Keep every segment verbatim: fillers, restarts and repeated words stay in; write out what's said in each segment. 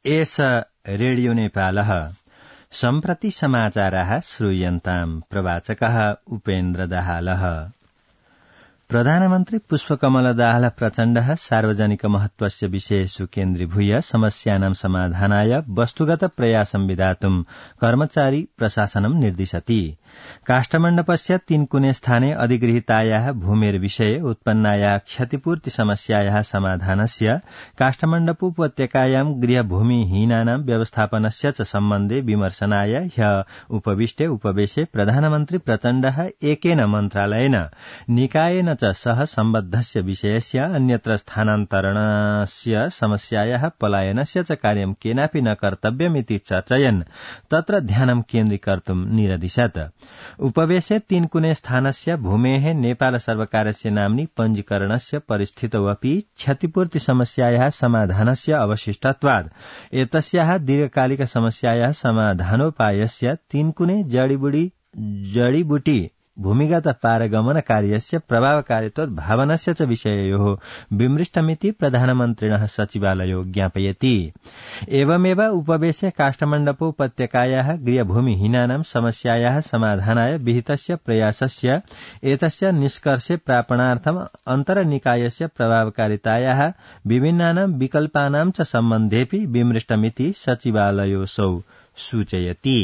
एष रेडियो नेपालः सम्प्रति समाचाराः श्रूयन्ताम् प्रवाचकः उपेन्द्र दाहालः। प्रधानमन्त्री पुष्पकमल दाहाल प्रचण्डः सार्वजनिक महत्वस्य विषयेषु केन्द्रीभूय समस्यानां समाधानाय वस्तुगत प्रयासं विधातुं कर्मचारी प्रशासनं निर्दिशति। काष्ठमण्डपस्य तीनकुने स्थाने अधिगृहीतायाः भूमेर्विषये उत्पन्नायाः क्षतिपूर्ति समस्यायाः समाधानस्य काष्ठमण्डप उपत्यकायां गृहभूमिहीनानां व्यवस्थापनस्य च सम्बन्धे विमर्शनाय ह्यः उपविष्टे उपवेशे प्रधानमन्त्री प्रचण्डः एकेन मन्त्रालयेन निकायेन च सह सम्बद्धस्य विषयस्य अन्यत्र स्थानान्तरणस्य समस्यायाः पलायनस्य च कार्यं केनापि न कर्तव्यमिति चर्चयन् तत्र ध्यानं केन्द्रीकर्तुं निरदिशत्। उपवेशे तीनकुने स्थानस्य भूमेः नेपाल सर्वकारस्य नाम्नि पञ्जीकरणस्य परिस्थितौ अपि क्षतिपूर्ति समस्यायाः समाधानस्य अवशिष्टत्वात् एतस्याः दीर्घकालिक समस्यायाः समाधानोपायस्य तीनकुने जडीबुटी जडीबुटी भूमिगत पारगमन कार्यस्य प्रभावकारित्व भावनस्य च विषययोः विमृष्टमिति प्रधानमन्त्रिणः सचिवालयो ज्ञापयति। एवमेव उपवेशे काष्ठमण्डप उपत्यकायाः गृहभूमिहीनानां समस्यायाः समाधानाय विहितस्य प्रयासस्य एतस्य निष्कर्षे प्रापणार्थम् अन्तर्निकायस्य प्रभावकारितायाः विभिन्नानां विकल्पानां च सम्बन्धेऽपि विमृष्टमिति सचिवालयोऽसौ सूचयति।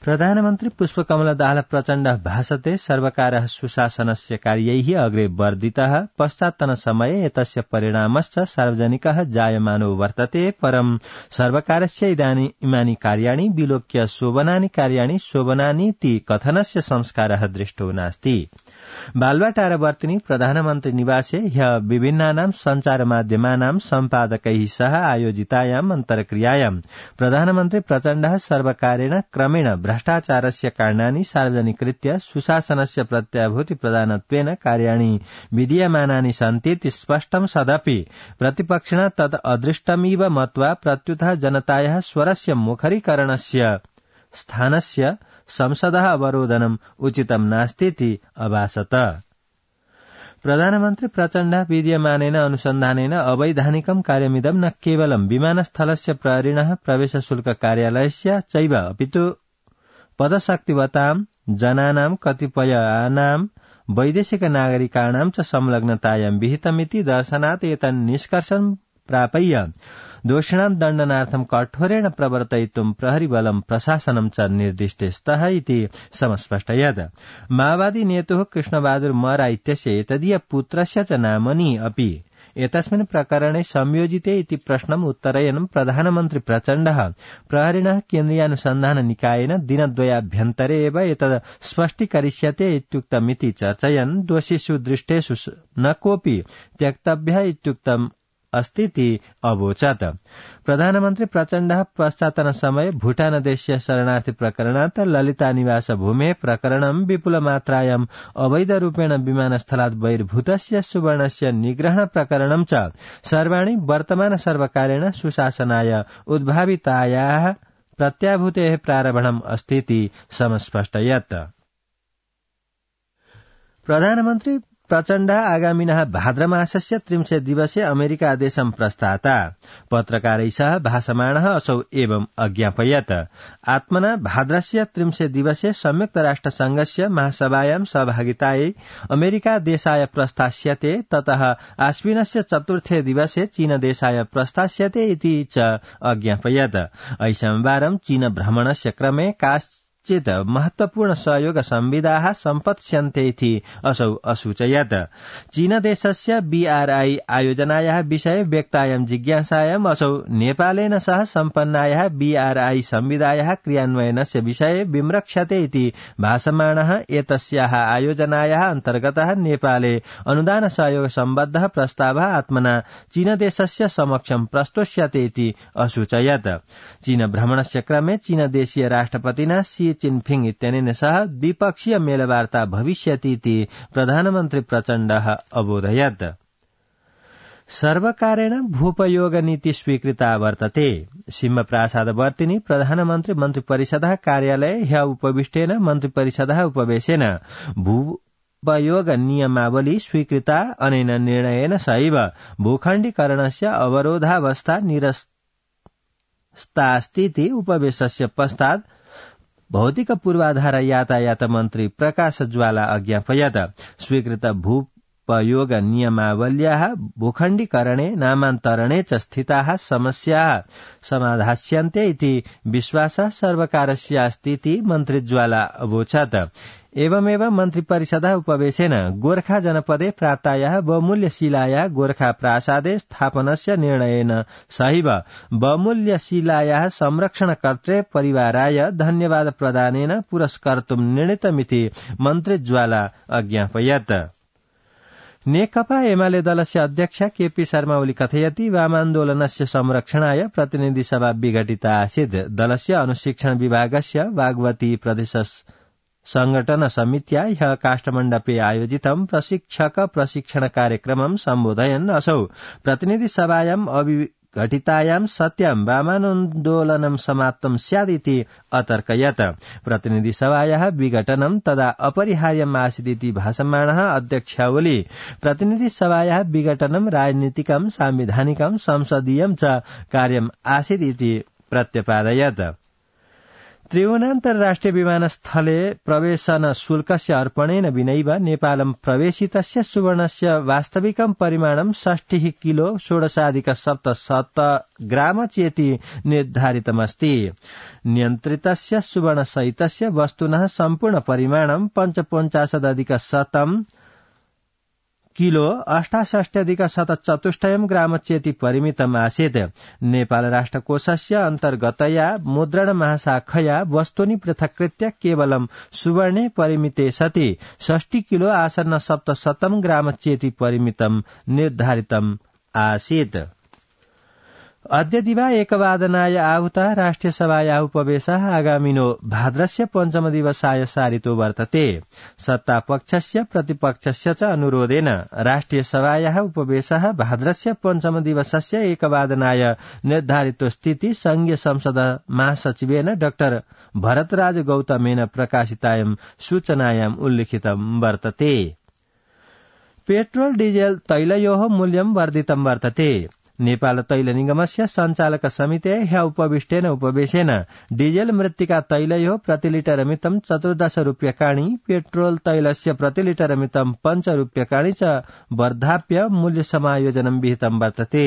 प्रधानमन्त्री पुष्पकमल दाहाल प्रचण्डः भाषते सर्वकारः सुशासनस्य कार्यैः अग्रे वर्धितः पश्चात्तनसमये एतस्य परिणामश्च सार्वजनिकः जायमानो वर्तते। परं सर्वकारस्य इमानि कार्याणि विलोक्य शोभनानि कार्याणि शोभनानीति कथनस्य संस्कारः दृष्टो नास्ति। बालुवाटारवर्तिनि प्रधानमन्त्री निवासे ह्यः विभिन्नानां सञ्चारमाध्यमानां सम्पादकैः सह आयोजितायाम् अन्तर्क्रियायां प्रधानमन्त्री प्रचण्डः सर्वकारेण क्रमेण भ्रष्टाचारस्य कारणानि सार्वजनिकृत्य सुशासनस्य प्रत्याभूति प्रदानत्वेन कार्याणि विधीयमानानि सन्तीति स्पष्टं सदपि प्रतिपक्षिणा तत् अदृष्टमिव मत्वा प्रत्युतः जनतायाः स्वरस्य मुखरीकरणस्य स्थानस्य संसदः अवरोधनम् उचितं नास्तीति अभासत। प्रधानमन्त्री प्रचण्डः विद्यमानेन अनुसन्धानेन अवैधानिकं कार्यमिदं न केवलं विमानस्थलस्य प्रहरिणः प्रवेशशुल्क कार्यालयस्य चैव अपितु पदशक्तिवतां जनानां कतिपयानां वैदेशिक नागरिकाणां च संलग्नतायां विहितमिति दर्शनात् एतन्निष्कर्षं प्रापय्य दोषिणां दण्डनार्थं कठोरेण प्रवर्तयितुं प्रहरीबलं प्रशासनं च निर्दिष्टे स्तः इति समस्पष्टयत्। माओवादी नेतुः कृष्णबहादुर मरा इत्यस्य एतदीय पुत्रस्य च नामनि अपि एतस्मिन् प्रकरणे संयोजिते इति प्रश्नम् उत्तरयन् प्रधानमन्त्री प्रचण्डः प्रहरिणः केन्द्रीयानुसन्धान निकायेन दिनद्वयाभ्यन्तरे एव एतत् स्पष्टीकरिष्यते इत्युक्तमिति चर्चयन् दोषिषु दृष्टेषु न कोऽपि त्यक्तव्यः इत्युक्तम् अस्तीति अवोचत्। प्रधानमन्त्री प्रचण्डः पश्चात्तनसमये भूटानदेशीय शरणार्थी प्रकरणात् ललिता निवास भूमे प्रकरणं विपुलमात्रायाम् अवैधरूपेण विमानस्थलात् बहिर्भूतस्य सुवर्णस्य निग्रहण प्रकरणं च सर्वाणि वर्तमान सर्वकारेण सुशासनाय उद्भावितायाः प्रत्याभूतेः प्रारम्भम् अस्तीति समस्पष्टयत्। प्रधानमन्त्री प्रचण्ड आगामिनः भाद्रमासस्य त्रिंशे दिवसे अमेरिका देशं प्रस्थाता। पत्रकारैः सह भाषमाणः असौ एवं अज्ञापयत्। आत्मना भाद्रस्य त्रिंशे दिवसे संयुक्त राष्ट्र संघस्य महासभायां सहभागितायै अमेरिका देशाय प्रस्थास्यते। ततः आश्विनस्य चतुर्थे दिवसे चीन देशाय प्रस्थास्यते इति च अज्ञापयत्। ऐशंवारं चीन भ्रमणस्य क्रमे काश्चित् महत्वपूर्ण सहयोग संविधाः सम्पत्स्यन्ते इति असौ असूचयत्। चीनदेशस्य बीआरआई आयोजनायाः विषये व्यक्तायां जिज्ञासायाम् असौ नेपालेन सह सम्पन्नायाः बीआरआई संविधायाः क्रियान्वयनस्य विषये विमृक्षते इति भाषमाणः एतस्याः आयोजनायाः अन्तर्गतः नेपाले अनुदान सहयोग सम्बद्धः प्रस्तावः आत्मना चीनदेशस्य समक्षं प्रस्तोष्यते इति असूचयत्। चीन भ्रमणस्य क्रमे चीनदेशीय राष्ट्रपतिना शी चिनफिंग इत्यनेन सह द्विपक्षीय मेलवार्ता भविष्यति इति प्रधानमन्त्री प्रचण्डः अबोधयत्। सर्वकारेण भूपयोग नीति स्वीकृता वर्तते। सिंहप्रासादवर्तिनि प्रधानमन्त्री मन्त्रिपरिषदः कार्यालये ह्यः उपविष्टेन मन्त्रिपरिषदः उपवेशेन भू भूपयोग नियमावली स्वीकृता अनेन निर्णयेन सैव भूखण्डीकरणस्य अवरोधावस्था निरस्तास्तीति उपवेशस्य पश्चात् भौतिक पूर्वाधार यातायात मन्त्री प्रकाश ज्वाला अज्ञापयत्। स्वीकृत भूपयोग नियमावल्याः भूखण्डीकरणे नामान्तरणे च स्थिताः समस्याः समाधास्यन्ते इति विश्वासः सर्वकारस्यास्तीति मन्त्री ज्वाला अवोचत्। एवमेव मन्त्रिपरिषदः उपवेशेन गोर्खा जनपदे प्राप्तायाः बहुमूल्यशिलायाः गोर्खा प्रासादे स्थापनस्य निर्णयेन सहैव बहुमूल्यशिलायाः संरक्षणकर्त्रे परिवाराय धन्यवाद प्रदानेन पुरस्कर्तुं निर्णीतमिति मन्त्री ज्वाला अज्ञापयत्। नेकपा एमाले दलस्य अध्यक्ष केपी शर्मा ओली कथयति वामान्दोलनस्य संरक्षणाय प्रतिनिधि सभा विघटिता आसीत्। दलस्य अनुशिक्षण विभागस्य वाग्वती प्रदेश संघटन समित्या ह्यः काष्ठमण्डपे आयोजितं प्रशिक्षक प्रशिक्षण कार्यक्रमं सम्बोधयन् असौ प्रतिनिधि सभायाम् अविघटितायां सत्यां वामान्दोलनं समाप्तं स्यादिति अतर्कयत्। प्रतिनिधि सभायाः विघटनं तदा अपरिहार्यम् आसीदिति भाषमाणः अध्यक्ष ओली प्रतिनिधि सभायाः विघटनं राजनीतिकं सांविधानिकं संसदीयं च कार्यम् आसीदिति प्रत्यपादयत्। त्रिभुवनान्तर्राष्ट्रिय विमानस्थले प्रवेशन शुल्कस्य अर्पणेन विनैव नेपालं प्रवेशितस्य सुवर्णस्य वास्तविकं परिमाणं षष्टिः किलो षोडशाधिक सप्तशत ग्राम चेति निर्धारितमस्ति। नियन्त्रितस्य सुवर्णसहितस्य वस्तुनः सम्पूर्ण परिमाणं पञ्चपञ्चाशदधिक शतं किलो अष्टाषष्ट्यधिक शतचतुष्टयं ग्राम चेति परिमितम् आसीत्। नेपाल राष्ट्रकोषस्य अन्तर्गतया मुद्रण महाशाखया वस्तूनि पृथक्कृत्य केवलं सुवर्णे परिमिते सति षष्टि किलो आसन्न सप्तशतं ग्राम चेति परिमितं निर्धारितम् आसीत्। अद्य दिवा एकवादनाय आहूतः राष्ट्रिय सभायाः उपवेशः आगामिनो भाद्रस्य पञ्चम दिवसाय सारितो वर्तते। सत्तापक्षस्य प्रतिपक्षस्य च अनुरोधेन राष्ट्रिय सभायाः उपवेशः भाद्रस्य पञ्चम दिवसस्य एकवादनाय निर्धारितोऽस्तीति संघीय संसद महासचिवेन डाक्टर भरतराज गौतमेन प्रकाशितायां सूचनायाम् उल्लिखितं वर्तते। पेट्रोल डीजेल तैलयोः मूल्यं वर्धितं वर्तते। नेपाल तैल निगमस्य सञ्चालक समिते ह्य उपविष्टेन उपवेशेन डीजेल मृत्तिका तैलयोः प्रतिलिटर मितं चतुर्दश रूप्यकाणि पेट्रोल तैलस्य प्रतिलिटर मितं पञ्च रूप्यकाणि च वर्धाप्य मूल्य समायोजनं विहितं वर्तते।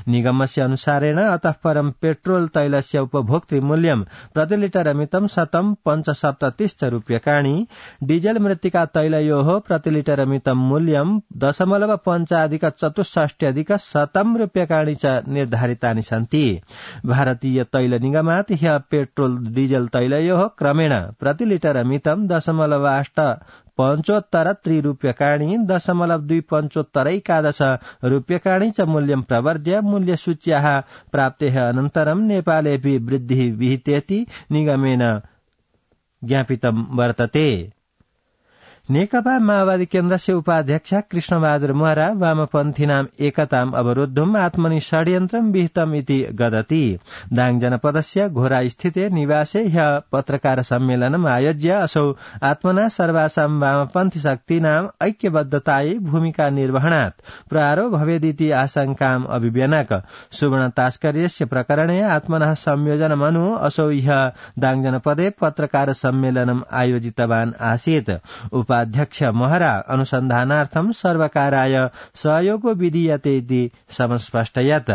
निगमस्य अनुसारेण अतः परं पेट्रोल तैलस्य उपभोक्तृ मूल्यं प्रतिलिटर मितं शतं पञ्चसप्ततिश्च रूप्यकाणि डीजेल मृत्तिका तैलयोः प्रतिलिटर मितं मूल्यं दशमलव पञ्चाधिक चतुष्षष्ट्यधिक शतं रूप्यकाणि च निर्धारितानि सन्ति। भारतीय तैल निगमात् ह्यः पेट्रोल डीजेल तैलयोः क्रमेण प्रतिलिटर मितं दशमलव अष्ट पञ्चोत्तर त्रिरूप्यकाणि दशमलव द्वि पञ्चोत्तर एकादश रूप्यकाणि च मूल्यं प्रवर्ध्य मूल्यसूच्याः प्राप्तेः अनन्तरं नेपालेऽपि वृद्धिः विहितेति निगमेन ज्ञापितं वर्तते। नेकपा माओवादी केन्द्रस्य उपाध्यक्ष कृष्णबहादुर महरा वामपन्थीनाम् एकताम् अवरोद्धुम् आत्मनि षड्यन्त्रं विहितम् इति गदति। दाङ जनपदस्य घोरा स्थिते निवासे ह्यः पत्रकार सम्मेलनम् आयोज्य असौ आत्मना सर्वासां वामपन्थी शक्तीनाम् ऐक्यबद्धतायै भूमिका निर्वहणात् प्रहारो भवेदिति आशंकाम् अभिव्यनक। सुवर्ण तास्कर्यस्य प्रकरणे आत्मनः संयोजनमनु असौ ह्यः दाङ जनपदे पत्रकार सम्मेलनम् आयोजितवान् आसीत्। अध्यक्ष महरा अनुसन्धानार्थं सर्वकाराय सहयोगो विधीयते इति समस्पष्टयत्।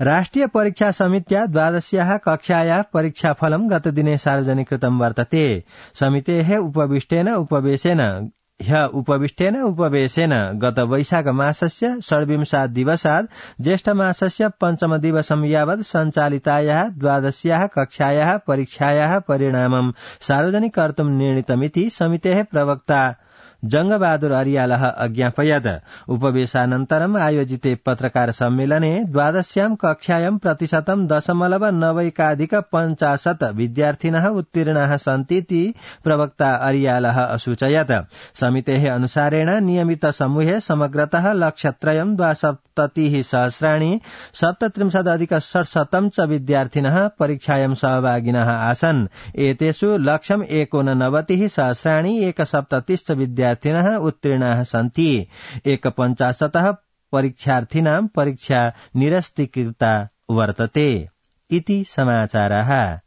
राष्ट्रिय परीक्षा समित्या द्वादश्याः कक्षायाः परीक्षाफलं गतदिने सार्वजनिकृतं वर्तते। समितेः उपविष्टेन उपवेशेन ह्य उपविष्टेन उपवेशेन गत वैशाख मासस्य षड्विंशात् दिवसात् ज्येष्ठ मासस्य पञ्चम दिवसं यावत् सञ्चालितायाः द्वादश्याः कक्षायाः परीक्षायाः परिणामं सार्वजनिक कर्तुं निर्णीतमिति समितेः प्रवक्ता जंगबहादुर अरियालः अज्ञापयत्। उपवेशानन्तरम् आयोजिते पत्रकार सम्मेलने द्वादश्यां कक्षायां प्रतिशतं दशमलव नवैकाधिक पञ्चाशत् विद्यार्थिनः उत्तीर्णाः सन्तीति प्रवक्ता अरियालः असूचयत्। समितेः अनुसारेण नियमित समूहे समग्रतः लक्ष्यत्रयं द्वासप्त सप्ततिः सहस्राणि सप्तत्रिंशदधिक षट्शतं च विद्यार्थिनः परीक्षायां सहभागिनः आसन्। एतेषु लक्षम् एकोननवतिः सहस्राणि एकसप्ततिश्च विद्यार्थिनः उत्तीर्णाः सन्ति। एकपञ्चाशतः परीक्षार्थिनां परीक्षा निरस्तीकृता वर्तते। इति समाचारः।